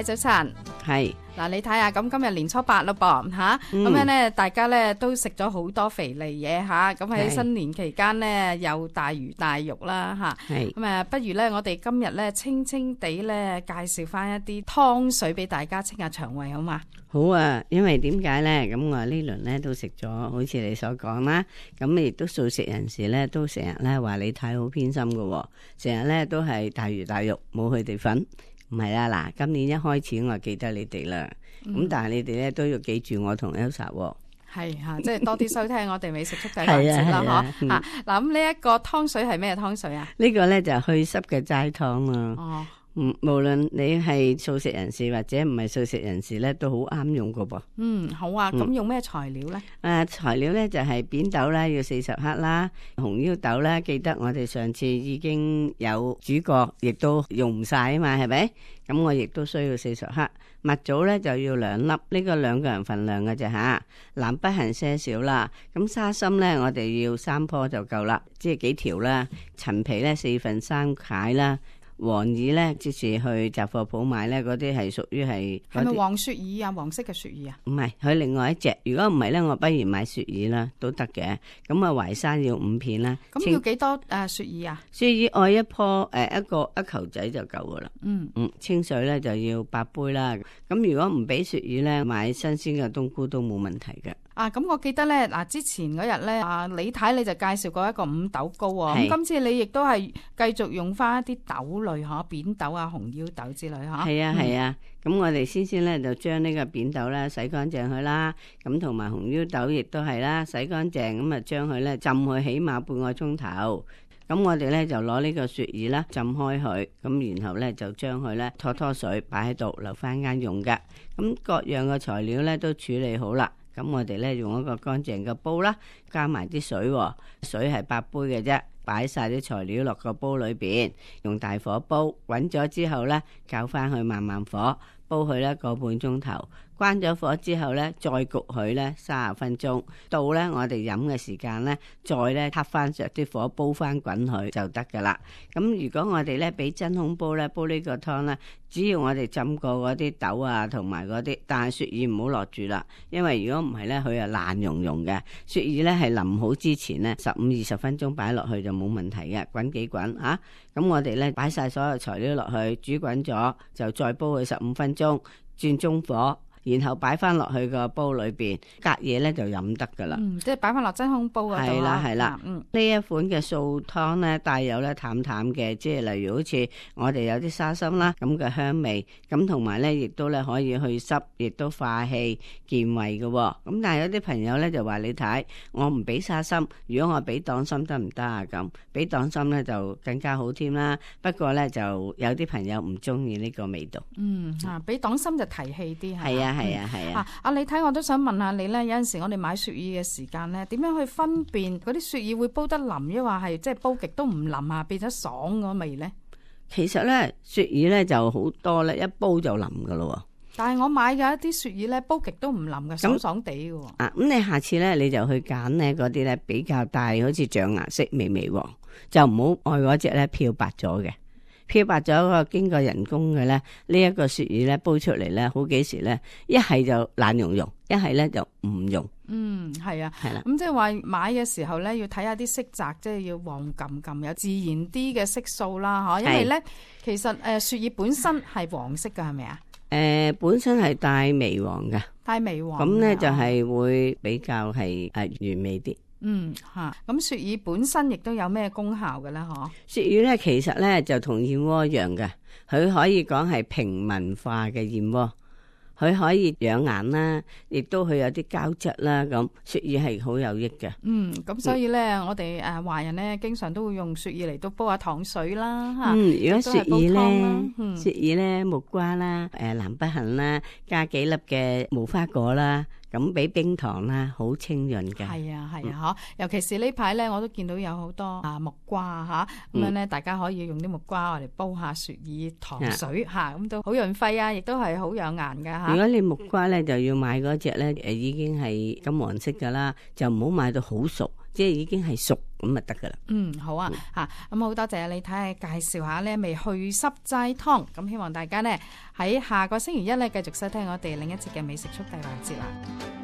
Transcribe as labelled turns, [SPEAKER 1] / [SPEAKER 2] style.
[SPEAKER 1] 太早晨。
[SPEAKER 2] 係
[SPEAKER 1] 嗱，你睇下，咁今日年初8咯噃吓，咁樣咧，大家咧都食咗好多肥膩嘢吓，咁喺新年期間咧又大魚大肉啦吓，咁不如咧我哋今日咧清清地咧介紹翻一啲湯水俾大家清下腸胃好嘛？
[SPEAKER 2] 好啊，因為點解咧？咁我呢輪咧都食咗，好似你所講啦，咁亦都素食人士咧都成日咧話你太好偏心噶，成日咧都係大魚大肉，冇佢哋份。唔係啦，嗱，今年一開始我記得你哋啦，咁但係你哋咧都要記住我同 Elsa 喎。
[SPEAKER 1] 係吓，即係多啲收聽我哋美食速遞環節啦，嗬。嗱，咁呢一個湯水係咩湯水啊？
[SPEAKER 2] 呢個咧就係去濕嘅齋湯啦。哦。無論你係素食人士或者唔係素食人士咧，都好啱用噶噃。
[SPEAKER 1] 好啊。咁用咩材料咧？
[SPEAKER 2] 材料咧就係扁豆啦，要40克啦，紅腰豆啦，記得我哋上次已經有煮過，亦都用唔晒啊嘛，係咪？咁我亦都需要40克。蜜棗咧就要2粒，呢個2個人份量嘅啫吓。南北杏些少啦。咁沙參咧，我哋要3棵就夠啦，即係幾條啦。陳皮咧3/4塊啦。黃耳咧，即是去雜貨鋪買咧，嗰啲係屬於係
[SPEAKER 1] 咪黃雪耳啊？黃色嘅雪耳啊？
[SPEAKER 2] 唔係，佢另外一隻。如果唔係咧，我不如買雪耳啦，都得嘅。咁啊，淮山要5片啦。
[SPEAKER 1] 咁要幾多雪耳啊？
[SPEAKER 2] 雪耳愛一棵一球仔就夠噶啦。清水咧就要8杯啦。咁如果唔俾雪耳咧，買新鮮嘅冬菇都冇問題嘅。
[SPEAKER 1] 咁我記得咧，之前嗰日咧，李太你就介紹過一個五豆糕啊。咁今次你亦都係繼續用翻一啲豆類嗬，扁豆啊、紅腰豆之類嗬。
[SPEAKER 2] 係啊。咁我哋先咧就將呢個扁豆咧洗乾淨佢啦，咁同埋紅腰豆亦都係啦，洗乾淨咁啊，將佢咧浸佢起碼半個鐘頭。咁我哋咧就攞呢個雪耳啦，浸開佢，咁然後咧就將佢咧拖水擺喺度，留翻間用嘅。咁各樣嘅材料咧都處理好啦。咁我哋咧用一個乾淨嘅煲啦，加埋啲水，水係8杯嘅啫，擺晒啲材料落個煲裏邊，用大火煲，滾咗之後咧，較翻去慢慢火煲佢咧個半鐘頭，關咗火之後咧，再焗佢咧30分鐘，到咧我哋飲嘅時間咧，再咧撻翻着啲火煲翻滾佢就得噶啦。咁如果我哋咧俾真空煲咧煲呢個湯咧，只要我哋浸過嗰啲豆啊同埋嗰啲，但係雪耳唔好落住啦，因為如果唔係咧佢係爛溶溶嘅。雪耳咧係淋好之前咧15-20分鐘擺落去就冇問題嘅，滾幾滾啊。咁我哋咧擺晒所有材料落去，煮滾咗就再煲佢15分鐘，轉中火。然後擺翻落去個煲裏邊，隔夜咧就飲得噶啦。
[SPEAKER 1] 即係擺翻落真空煲嗰度啦。
[SPEAKER 2] 係啦。呢一款嘅素湯咧，帶有咧淡淡嘅，即係例如好似我哋有啲沙參啦咁嘅香味，咁同埋咧亦都咧可以去濕，亦都化氣健胃嘅。咁但係有啲朋友咧就話你睇，我唔俾沙參，如果我俾黨參得唔得啊？咁俾黨參咧就更加好添啦。不過咧就有啲朋友唔中意呢個味道。
[SPEAKER 1] 俾黨參就提氣啲係啊。
[SPEAKER 2] 係啊。
[SPEAKER 1] 你睇我都想問下你咧，有陣時我哋買雪耳嘅時間咧，點樣去分辨嗰啲雪耳會煲得腍，抑或係即係煲極都唔腍啊，變咗爽嗰味咧？
[SPEAKER 2] 其實咧雪耳咧就好多咧，一煲就腍噶咯。
[SPEAKER 1] 但係我買嘅一啲雪耳咧，煲極都唔腍嘅，爽爽地嘅。
[SPEAKER 2] 咁你下次咧你就去揀咧嗰啲咧比較大，好似醬顏色微微黃，就唔好愛嗰隻咧漂白咗嘅。漂白咗個經過人工嘅咧，呢一個雪耳咧煲出嚟咧，好幾時咧一係就爛溶溶，一係咧就唔溶。
[SPEAKER 1] 係啊，
[SPEAKER 2] 係啦。
[SPEAKER 1] 咁即係話買嘅時候咧，要睇下啲色澤，即係要黃冚冚，有自然啲嘅色素啦，因為咧其實雪耳本身係黃色㗎，係咪啊？
[SPEAKER 2] 本身係帶微黃嘅，
[SPEAKER 1] 帶微黃。
[SPEAKER 2] 咁咧就係會比較係原味啲。
[SPEAKER 1] 咁雪耳本身亦都有咩功效嘅咧？
[SPEAKER 2] 雪耳咧其實咧就同燕窩一樣嘅，佢可以講係平民化嘅燕窩，佢可以養顏啦，亦都佢有啲膠質啦，咁雪耳係好有益嘅。
[SPEAKER 1] 咁所以咧，我哋華人咧經常都會用雪耳嚟到煲下糖水啦，
[SPEAKER 2] 如果雪耳咧木瓜啦，南北杏啦，加幾粒嘅無花果啦。咁俾冰糖啦，好清潤嘅。
[SPEAKER 1] 係啊，尤其是呢排咧，我都見到有好多木瓜咁樣咧，大家可以用啲木瓜嚟煲下雪耳糖水咁都好潤肺啊，亦都係好養顏噶。
[SPEAKER 2] 如果你木瓜咧就要買嗰隻咧，已經係金黃色噶啦，就唔好買到好熟，即係已經係熟咁就得噶啦。
[SPEAKER 1] 好啊，咁好多謝你睇下介紹下呢味去濕齋湯，咁希望大家呢喺下個星期一呢繼續收聽我哋另一節嘅美食速遞環節啦。